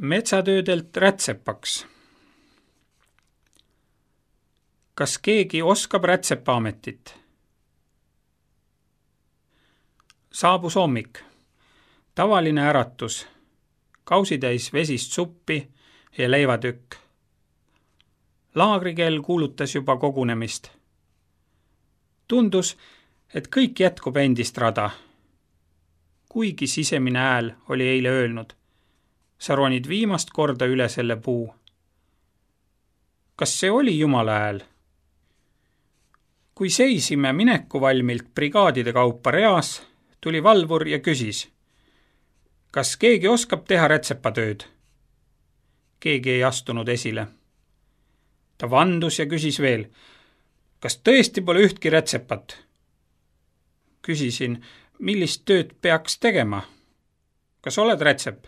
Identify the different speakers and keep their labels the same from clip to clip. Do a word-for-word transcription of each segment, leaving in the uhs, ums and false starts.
Speaker 1: Metsatöödelt rätsepaks. Kas keegi oskab rätsepaametit? Saabus hommik. Tavaline äratus. Kausitäis vesist suppi ja leivatükk. Laagrikell kuulutas juba kogunemist. Tundus, et kõik jätkub endist rada. Kuigi sisemine hääl oli eile öelnud. Sa ronid viimast korda üle selle puu. Kas see oli Jumala hääl? Kui seisime minekuvalmilt brigaadide kaupa reas, tuli valvur ja küsis. Kas keegi oskab teha rätsepatööd? Keegi ei astunud esile. Ta vandus ja küsis veel. Kas tõesti pole ühtki rätsepat? Küsisin, millist tööd peaks tegema? Kas oled rätsep?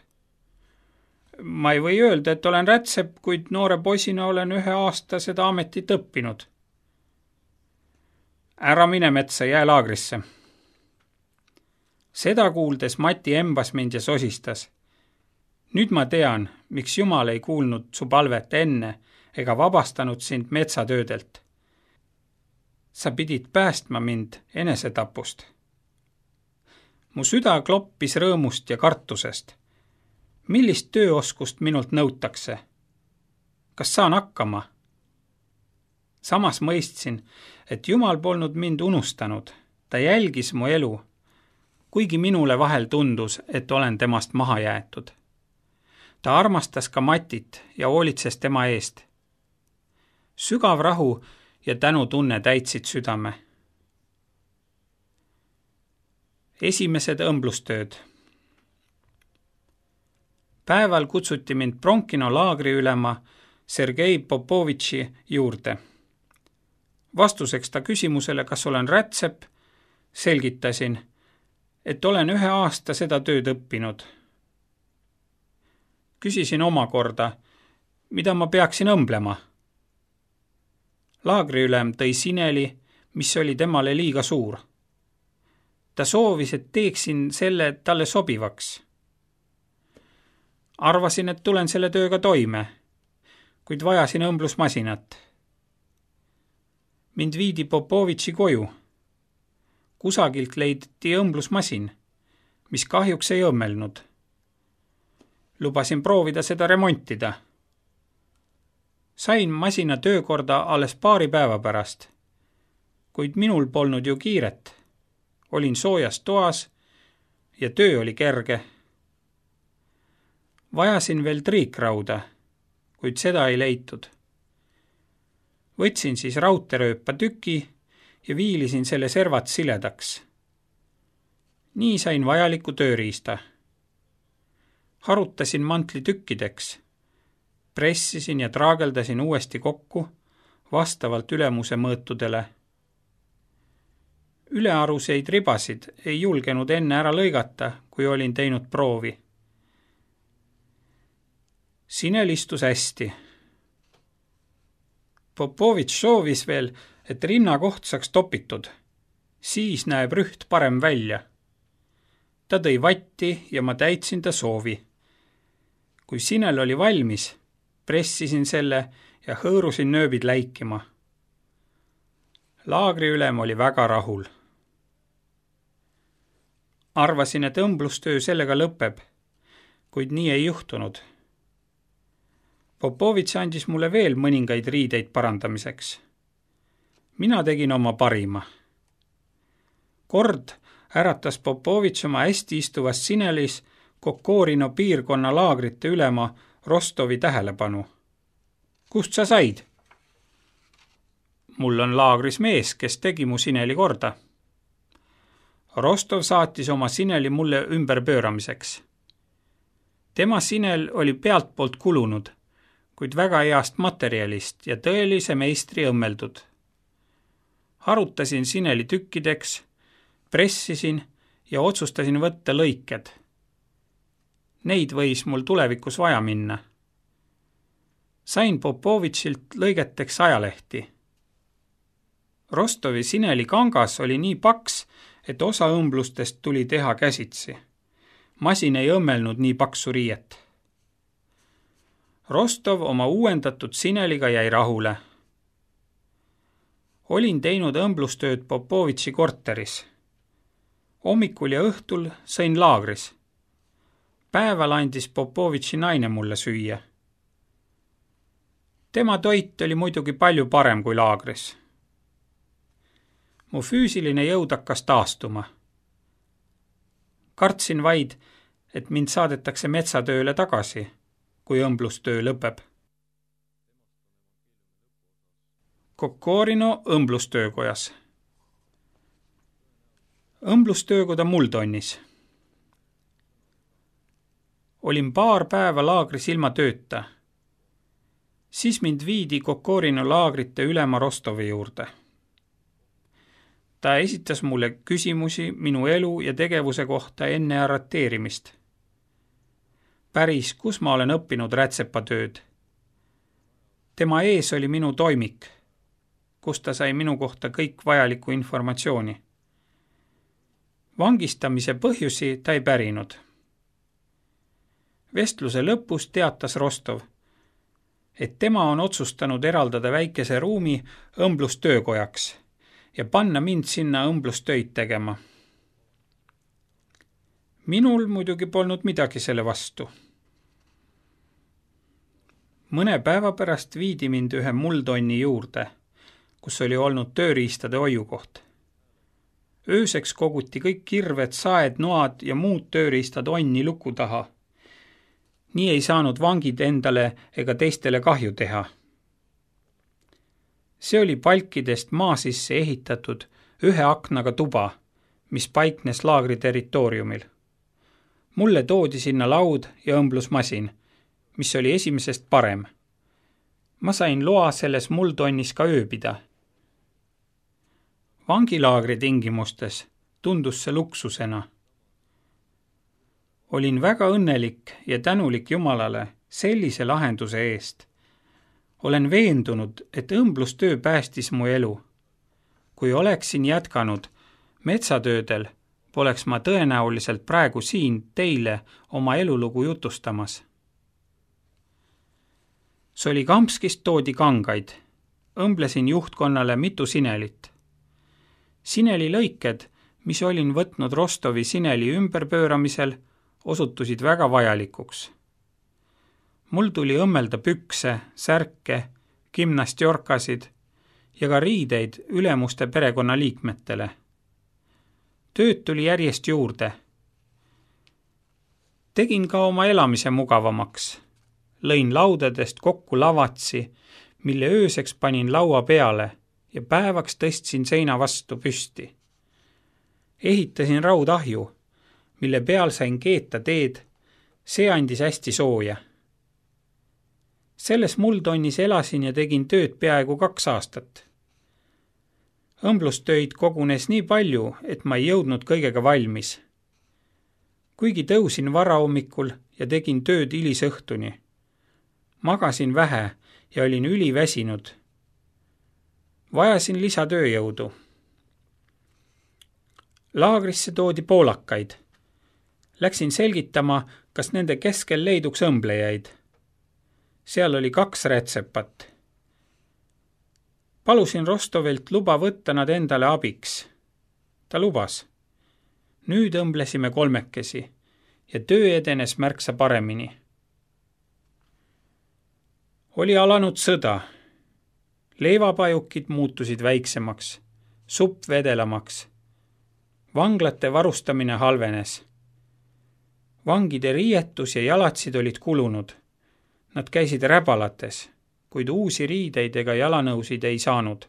Speaker 1: Ma ei või öelda, et olen rätsep, kuid noore poisina olen ühe aasta seda ametit õppinud. Ära mine metsa, jää laagrisse. Seda kuuldes Mati embas mind ja sosistas. Nüüd ma tean, miks Jumal ei kuulnud su palvet enne ega vabastanud sind metsatöödelt. Sa pidid päästma mind enesetapust. Mu süda kloppis rõõmust ja kartusest. Millist tööoskust minult nõutakse? Kas saan hakkama? Samas mõistsin, et Jumal polnud mind unustanud. Ta jälgis mu elu, kuigi minule vahel tundus, et olen temast maha jäetud. Ta armastas ka Matit ja hoolitses tema eest. Sügav rahu ja tänutunne täitsid südame. Esimesed õmblustööd. Päeval kutsuti mind Bronkino laagri ülema Sergei Popovitši juurde. Vastuseks ta küsimusele, kas olen rätsep, selgitasin, et olen ühe aasta seda tööd õppinud. Küsisin omakorda, mida ma peaksin õmblema. Laagriülem tõi sineli, mis oli temale liiga suur. Ta soovis, et teeksin selle talle sobivaks. Arvasin, et tulen selle tööga toime, kuid vajasin õmblusmasinat. Mind viidi Popovitši koju. Kusagilt leiditi õmblusmasin, mis kahjuks ei õmmelnud. Lubasin proovida seda remontida. Sain masina töökorda alles paari päeva pärast, kuid minul polnud ju kiiret. Olin soojas toas ja töö oli kerge. Vajasin veel triikrauda, kuid seda ei leitud. Võtsin siis raudterööpa tüki ja viilisin selle servat siledaks. Nii sain vajaliku tööriista. Harutasin mantli tükkideks. Pressisin ja traageldasin uuesti kokku vastavalt ülemuse mõõtudele. Ülearuseid ribasid ei julgenud enne ära lõigata, kui olin teinud proovi. Sinel istus hästi. Popovitš soovis veel, et rinnakoht saaks topitud. Siis näeb rüht parem välja. Ta tõi vatti ja ma täitsin ta soovi. Kui sinel oli valmis, pressisin selle ja hõõrusin nööbid läikima. Laagriülem oli väga rahul. Arvasin, et õmblustöö sellega lõpeb, kuid nii ei juhtunud. Popovitš andis mulle veel mõningaid riideid parandamiseks. Mina tegin oma parima. Kord äratas Popovitš oma hästi istuvas sinelis Kokorino piirkonna laagrite ülema Rostovi tähelepanu. Kust sa said? Mul on laagris mees, kes tegi mu sineli korda. Rostov saatis oma sineli mulle ümberpööramiseks. Tema sinel oli pealtpoolt kulunud, kuid väga heast materjalist ja tõelise meistri õmmeldud. Harutasin sineli tükkideks, pressisin ja otsustasin võtta lõiked. Neid võis mul tulevikus vaja minna. Sain Popovitšilt lõigeteks ajalehti. Rostovi sineli kangas oli nii paks, et osa õmblustest tuli teha käsitsi. Masin ei õmmelnud nii paksu riiet. Rostov oma uuendatud sineliga jäi rahule. Olin teinud õmblustööd Popovitši korteris. Hommikul ja õhtul sõin laagris. Päeval andis Popovitši naine mulle süüa. Tema toit oli muidugi palju parem kui laagris. Mu füüsiline jõud hakkas taastuma. Kartsin vaid, et mind saadetakse metsatööle tagasi, kui õmblustöö lõpeb. Kokorino õmblustöökojas. Õmblustöökoda Multonnis. Olin paar päeva laagris ilma tööta. Siis mind viidi Kokorino laagrite ülema Rostovi juurde. Ta esitas mulle küsimusi minu elu ja tegevuse kohta enne arreteerimist. Päris, kus ma olen õppinud rätsepatööd. Tema ees oli minu toimik, kus ta sai minu kohta kõik vajalikku informatsiooni. Vangistamise põhjusi ta ei pärinud. Vestluse lõpus teatas Rostov, et tema on otsustanud eraldada väikese ruumi õmblustöökojaks ja panna mind sinna õmblustöid tegema. Minul muidugi polnud midagi selle vastu. Mõne päeva pärast viidi mind ühe Multonni juurde, kus oli olnud tööriistade hoiukoht. Ööseks koguti kõik kirved, saed, noad ja muud tööriistad onni luku taha. Nii ei saanud vangid endale ega teistele kahju teha. See oli palkidest maa sisse ehitatud ühe aknaga tuba, mis paiknes laagri territooriumil. Mulle toodi sinna laud ja õmblusmasin, mis oli esimesest parem. Ma sain loa selles Multonnis ka ööbida. Vangilaagri tingimustes tundus see luksusena. Olin väga õnnelik ja tänulik Jumalale sellise lahenduse eest. Olen veendunud, et õmblustöö päästis mu elu. Kui oleksin jätkanud metsatöödel, poleks ma tõenäoliselt praegu siin teile oma elulugu jutustamas. Solikamskist toodi kangaid. Õmblesin juhtkonnale mitu sinelit. Sineli lõiked, mis olin võtnud Rostovi sineli ümberpööramisel, osutusid väga vajalikuks. Mul tuli õmmelda pükse, särke, gimnastjorkasid ja ka riideid ülemuste perekonnaliikmetele. Tööd tuli järjest juurde. Tegin ka oma elamise mugavamaks. Lõin laudadest kokku lavatsi, mille ööseks panin laua peale ja päevaks tõstsin seina vastu püsti. Ehitasin raudahju, mille peal sain keeta teed, see andis hästi sooja. Selles Multonnis elasin ja tegin tööd peaaegu kaks aastat. Õmblustöid kogunes nii palju, et ma ei jõudnud kõigega valmis. Kuigi tõusin varahommikul ja tegin tööd hilisõhtuni. Magasin vähe ja olin üliväsinud. Vajasin lisatööjõudu. Laagrisse toodi poolakaid. Läksin selgitama, kas nende keskel leiduks õmblejaid. Seal oli kaks rätsepat. Palusin Rostovilt luba võtta nad endale abiks. Ta lubas. Nüüd õmblesime kolmekesi ja töö edenes märksa paremini. Oli alanud sõda. Leivapajukid muutusid väiksemaks, supp vedelamaks. Vanglate varustamine halvenes. Vangide riietus ja jalatsid olid kulunud. Nad käisid räbalates, kuid uusi riideid ega jalanõusid ei saanud.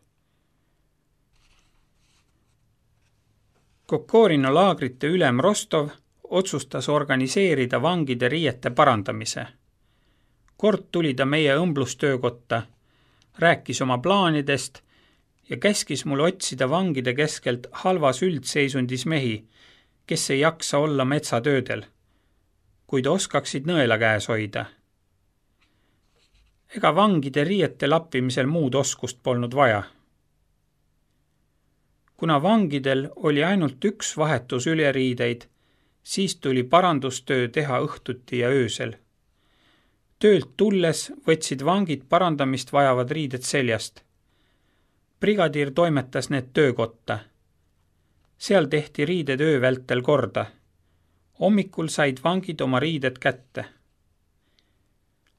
Speaker 1: Kokorino laagrite ülem Rostov otsustas organiseerida vangide riiete parandamise. Kord tuli ta meie õmblustöökotta, rääkis oma plaanidest ja käskis mul otsida vangide keskelt halvas üldseisundis mehi, kes ei jaksa olla metsatöödel, kuid oskaksid nõela käes hoida. Ega vangide riiete lappimisel muud oskust polnud vaja. Kuna vangidel oli ainult üks vahetus üleriideid, siis tuli parandustöö teha õhtuti ja öösel. Töölt tulles võtsid vangid parandamist vajavad riided seljast. Brigadiir toimetas need töökotta. Seal tehti riided öö vältel korda. Hommikul said vangid oma riided kätte.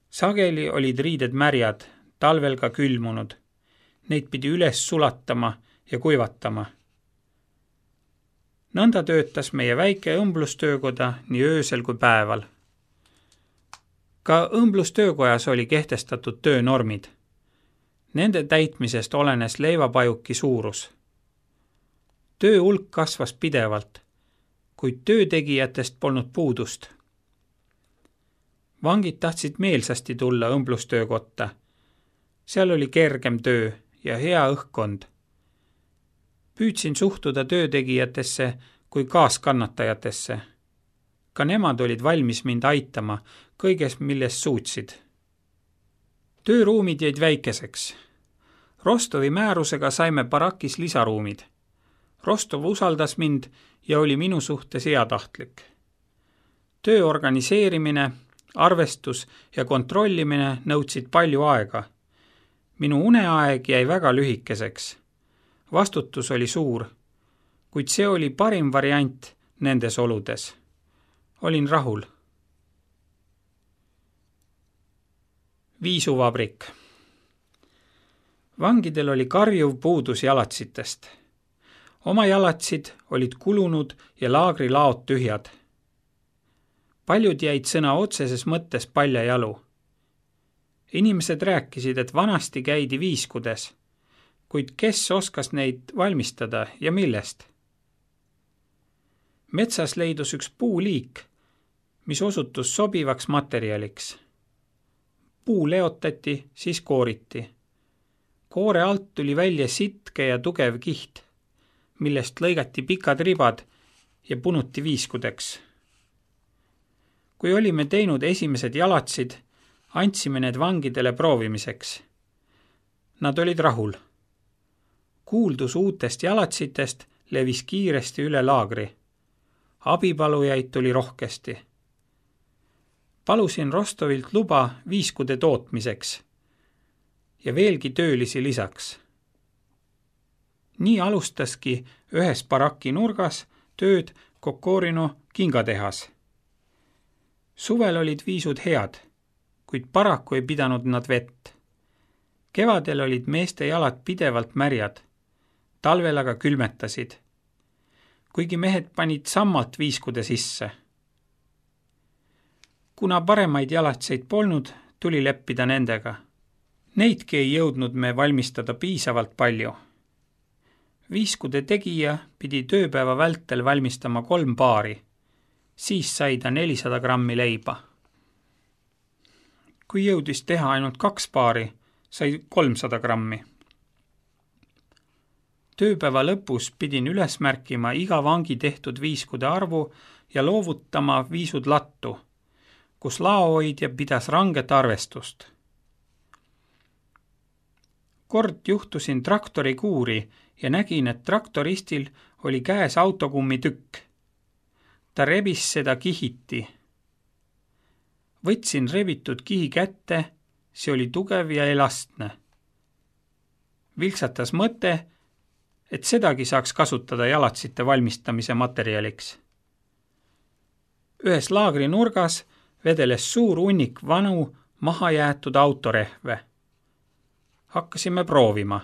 Speaker 1: Sageli olid riided märjad, talvel ka külmunud. Neid pidi üles sulatama ja kuivatama. Nõnda töötas meie väike õmblustöökoda nii öösel kui päeval. Ka õmblustöökojas oli kehtestatud töönormid. Nende täitmisest olenes leivapajuki suurus. Töö hulk kasvas pidevalt, kuid töötegijatest polnud puudust. Vangid tahtsid meelsasti tulla õmblustöökotta. Seal oli kergem töö ja hea õhkkond. Püüdsin suhtuda töötegijatesse kui kaaskannatajatesse. Ka nemad olid valmis mind aitama kõiges, milles suutsid. Tööruumid jäid väikeseks. Rostovi määrusega saime barakis lisaruumid. Rostov usaldas mind ja oli minu suhtes heatahtlik. Töö organiseerimine, arvestus ja kontrollimine nõudsid palju aega. Minu uneaeg jäi väga lühikeseks. Vastutus oli suur, kuid see oli parim variant nendes oludes. Olin rahul. Viisuvabrik. Vangidel oli karjuv puudus jalatsitest. Oma jalatsid olid kulunud ja laagri laod tühjad. Paljud jäid sõna otseses mõttes palja jalu. Inimesed rääkisid, et vanasti käidi viiskudes, kuid kes oskas neid valmistada ja millest? Metsas leidus üks puuliik, mis osutus sobivaks materjaliks. Puu leotati, siis kooriti. Koore alt tuli välja sitke ja tugev kiht, millest lõigati pikad ribad ja punuti viiskudeks. Kui olime teinud esimesed jalatsid, andsime need vangidele proovimiseks. Nad olid rahul. Kuuldus uutest jalatsitest levis kiiresti üle laagri. Abipalujaid tuli rohkesti. Palusin Rostovilt luba viiskude tootmiseks ja veelgi töölisi lisaks. Nii alustaski ühes baraki nurgas tööd Kokorino kingatehas. Suvel olid viisud head, kuid paraku ei pidanud nad vett. Kevadel olid meeste jalad pidevalt märjad, talvel aga külmetasid, kuigi mehed panid sammalt viiskude sisse. Kuna paremaid jalatseid polnud, tuli leppida nendega. Neidki ei jõudnud me valmistada piisavalt palju. Viiskude tegija pidi tööpäeva vältel valmistama kolm paari, siis sai ta nelisada grammi leiba. Kui jõudis teha ainult kaks paari, sai kolmsada grammi. Tööpäeva lõpus pidin üles märkima iga vangi tehtud viiskude arvu ja loovutama viisud lattu, kus laohoidja pidas ranget arvestust. Kord juhtusin traktori kuuri ja nägin, et traktoristil oli käes autokummi tükk. Ta rebis seda kihiti. Võtsin rebitud kihi kätte, see oli tugev ja elastne. Vilksatas mõte, et sedagi saaks kasutada jalatsite valmistamise materjaliks. Ühes laagri nurgas vedeles suur hunnik vanu mahajäetud autorehve. Hakkasime proovima.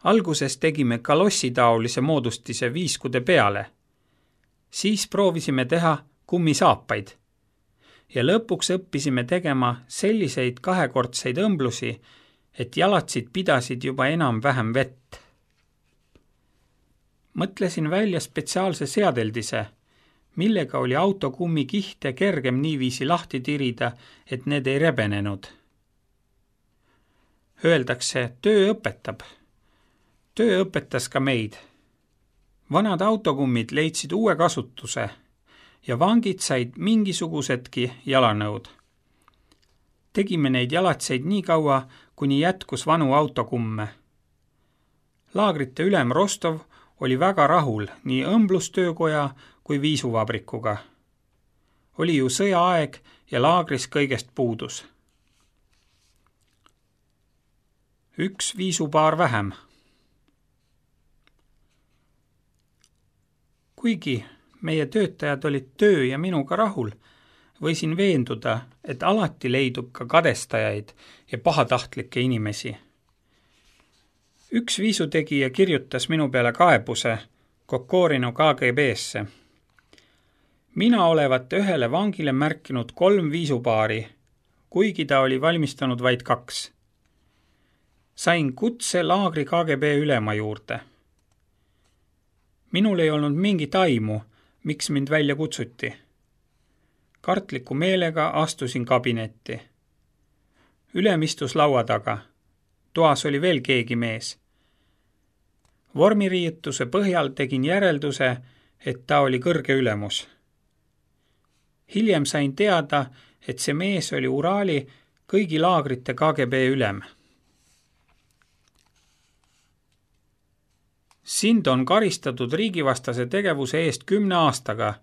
Speaker 1: Alguses tegime kalossitaolise moodustise viiskude peale. Siis proovisime teha kummisaapaid ja lõpuks õppisime tegema selliseid kahekordseid õmblusi, et jalatsid pidasid juba enam-vähem vett. Mõtlesin välja spetsiaalse seadeldise, millega oli autokummi kihte kergem niiviisi lahti tirida, et need ei rebenenud. Öeldakse, töö õpetab. Töö õpetas ka meid. Vanad autokummid leidsid uue kasutuse ja vangid said mingisugusedki jalanõud. Tegime neid jalatseid nii kaua, kuni jätkus vanu autokumme. Laagrite ülem Rostov oli väga rahul nii õmblustöökoja kui viisuvabrikuga. Oli ju sõjaaeg ja laagris kõigest puudus. Üks viisupaar vähem. Kuigi meie töötajad olid töö ja minuga rahul, võisin veenduda, et alati leidub ka kadestajaid ja pahatahtlikke inimesi. Üks viisutegija kirjutas minu peale kaebuse Kokorinu K G B-sse. Mina olevat ühele vangile märkinud kolm viisupaari, kuigi ta oli valmistanud vaid kaks. Sain kutse laagri K G B ülema juurde. Minul ei olnud mingit aimu, miks mind välja kutsuti. Kartliku meelega astusin kabinetti. Ülem istus laua taga. Toas oli veel keegi mees. Vormiriietuse põhjal tegin järelduse, et ta oli kõrge ülemus. Hiljem sain teada, et see mees oli Uraali kõigi laagrite K G B ülem. Sind on karistatud riigivastase tegevuse eest kümne aastaga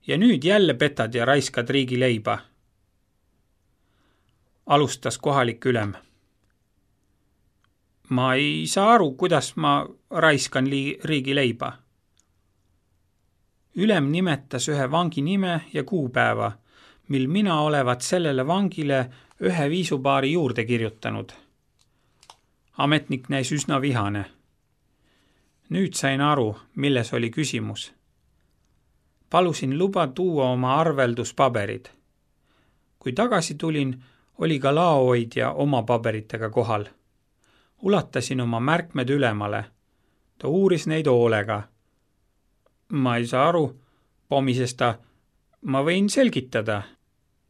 Speaker 1: ja nüüd jälle petad ja raiskad riigi leiba. Alustas kohalik ülem. Ma ei saa aru, kuidas ma raiskan li- riigi leiba. Ülem nimetas ühe vangi nime ja kuupäeva, mil mina olevat sellele vangile ühe viisupaari juurde kirjutanud. Ametnik näis üsna vihane. Nüüd sain aru, milles oli küsimus. Palusin luba tuua oma arvelduspaberid. Kui tagasi tulin, oli ka laohoidja oma paberitega kohal. Ulatasin oma märkmed ülemale. Ta uuris neid hoolega. Ma ei saa aru, pomises ta, ma võin selgitada.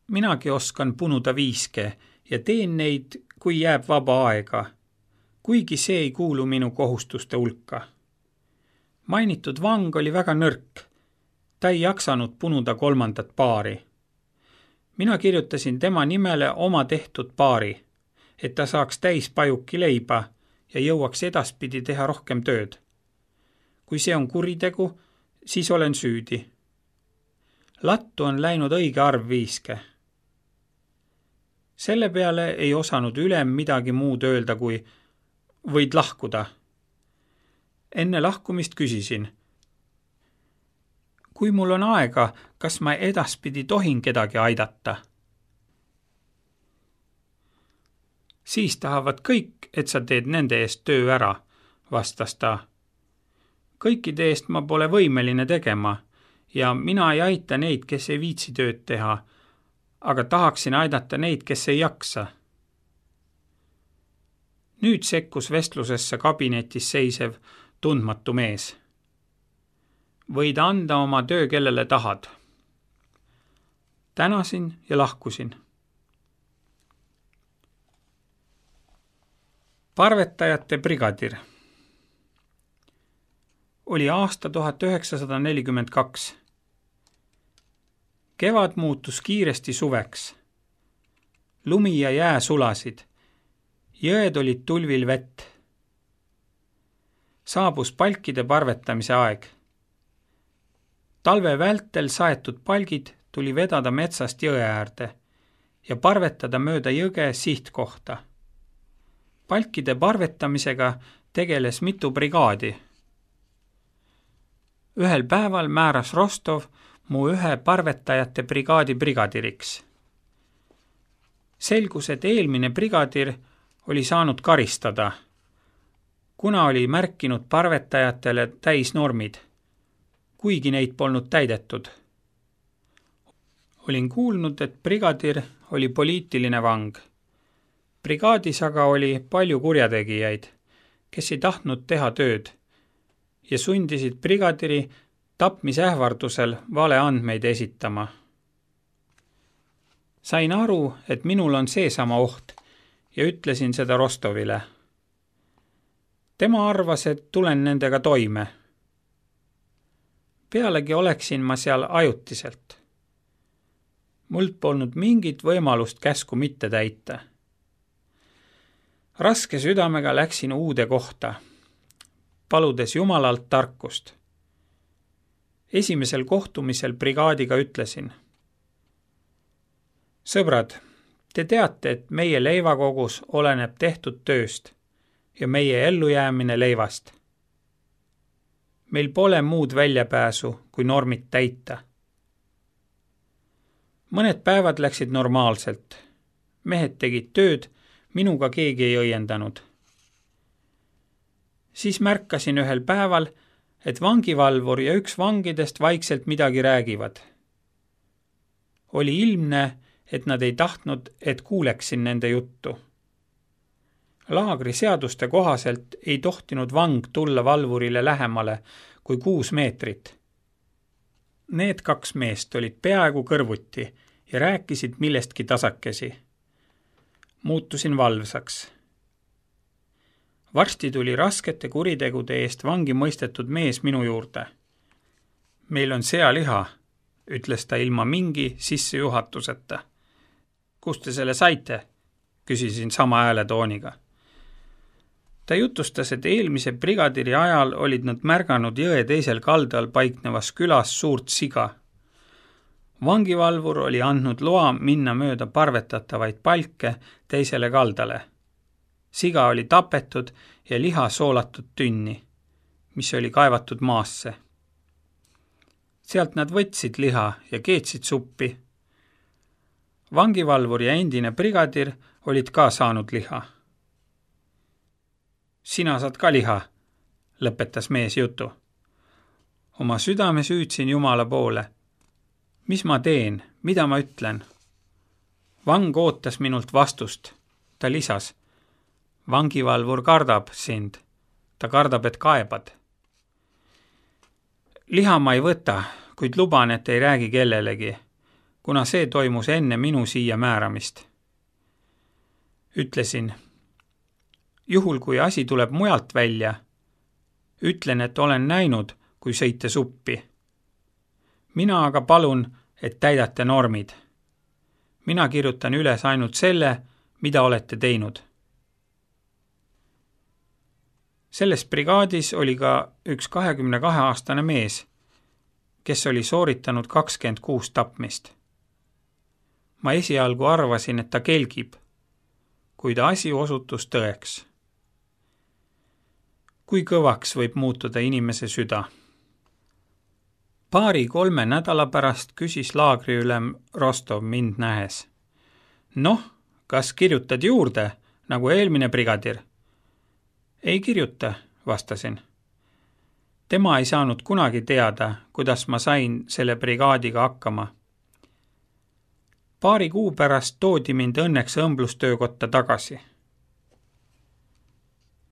Speaker 1: Minagi oskan punuda viiske ja teen neid, kui jääb vaba aega, kuigi see ei kuulu minu kohustuste hulka. Mainitud vang oli väga nõrk. Ta ei jaksanud punuda kolmandat paari. Mina kirjutasin tema nimele oma tehtud paari, et ta saaks täis pajuki leiba ja jõuaks edaspidi teha rohkem tööd. Kui see on kuritegu, siis olen süüdi. Lattu on läinud õige arv viiske. Selle peale ei osanud ülem midagi muud öelda, kui võid lahkuda. Enne lahkumist küsisin. Kui mul on aega, kas ma edaspidi tohin kedagi aidata? Siis tahavad kõik, et sa teed nende eest töö ära, vastas ta. Kõikide eest ma pole võimeline tegema ja mina ei aita neid, kes ei viitsi tööd teha, aga tahaksin aidata neid, kes ei jaksa. Nüüd sekkus vestlusesse kabinetis seisev tundmatu mees. Võid anda oma töö, kellele tahad. Tänasin ja lahkusin. Parvetajate brigadir. Oli aasta tuhat üheksasada nelikümmend kaks. Kevad muutus kiiresti suveks. Lumi ja jää sulasid. Jõed olid tulvil vett. Saabus palkide parvetamise aeg. Talve vältel saetud palgid tuli vedada metsast jõe äärde ja parvetada mööda jõge sihtkohta. Palkide parvetamisega tegeles mitu brigaadi. Ühel päeval määras Rostov mu ühe parvetajate brigaadi brigadiriks. Selgus, et eelmine brigadir oli saanud karistada, kuna oli märkinud parvetajatele täisnormid, kuigi neid polnud täidetud. Olin kuulnud, et brigadir oli poliitiline vang. Brigaadis aga oli palju kurjategijaid, kes ei tahtnud teha tööd ja sundisid brigadiri tapmisähvardusel vale andmeid esitama. Sain aru, et minul on seesama oht ja ütlesin seda Rostovile. Tema arvas, et tulen nendega toime. Pealegi oleksin ma seal ajutiselt. Mult polnud mingit võimalust käsku mitte täita. Raske südamega läksin uude kohta, paludes Jumalalt tarkust. Esimesel kohtumisel brigaadiga ütlesin. Sõbrad, te teate, et meie leivakogus oleneb tehtud tööst ja meie ellujäämine leivast. Meil pole muud väljapääsu, kui normid täita. Mõned päevad läksid normaalselt. Mehed tegid tööd, minuga keegi ei õiendanud. Siis märkasin ühel päeval, et vangivalvur ja üks vangidest vaikselt midagi räägivad. Oli ilmne, et nad ei tahtnud, et kuuleksin nende juttu. Laagri seaduste kohaselt ei tohtinud vang tulla valvurile lähemale kui kuus meetrit. Need kaks meest olid peaaegu kõrvuti ja rääkisid millestki tasakesi. Muutusin valvsaks. Varsti tuli raskete kuritegude eest vangi mõistetud mees minu juurde. Meil on sealiha, ütles ta ilma mingi sissejuhatuseta. Kust te selle saite? Küsisin sama hääletooniga. Ta jutustas, et eelmise brigadiri ajal olid nad märganud jõe teisel kaldal paiknevas külas suurt siga. Vangivalvur oli andnud loa minna mööda parvetatavaid palke teisele kaldale. Siga oli tapetud ja liha soolatud tünni, mis oli kaevatud maasse. Sealt nad võtsid liha ja keetsid suppi. Vangivalvur ja endine brigadir olid ka saanud liha. Sina saad ka liha, lõpetas mees jutu. Oma südame süüdsin Jumala poole. Mis ma teen, mida ma ütlen? Vang ootas minult vastust. Ta lisas, vangivalvur kardab sind. Ta kardab, et kaebad. Liha ma ei võta, kuid luban, et ei räägi kellelegi, kuna see toimus enne minu siia määramist. Ütlesin, juhul kui asi tuleb mujalt välja, ütlen, et olen näinud, kui sõite suppi. Mina aga palun, et täidate normid. Mina kirjutan üles ainult selle, mida olete teinud. Selles brigaadis oli ka üks kahekümne kahe aastane mees, kes oli sooritanud kakskümmend kuus tapmist. Ma esialgu arvasin, et ta kelgib, kuid asi osutus tõeks. Kui kõvaks võib muutuda inimese süda? Paari-kolme nädala pärast küsis laagriülem Rostov mind nähes. Noh, kas kirjutad juurde, nagu eelmine brigadir? Ei kirjuta, vastasin. Tema ei saanud kunagi teada, kuidas ma sain selle brigaadiga hakkama. Paari kuu pärast toodi mind õnneks õmblustöökotta tagasi.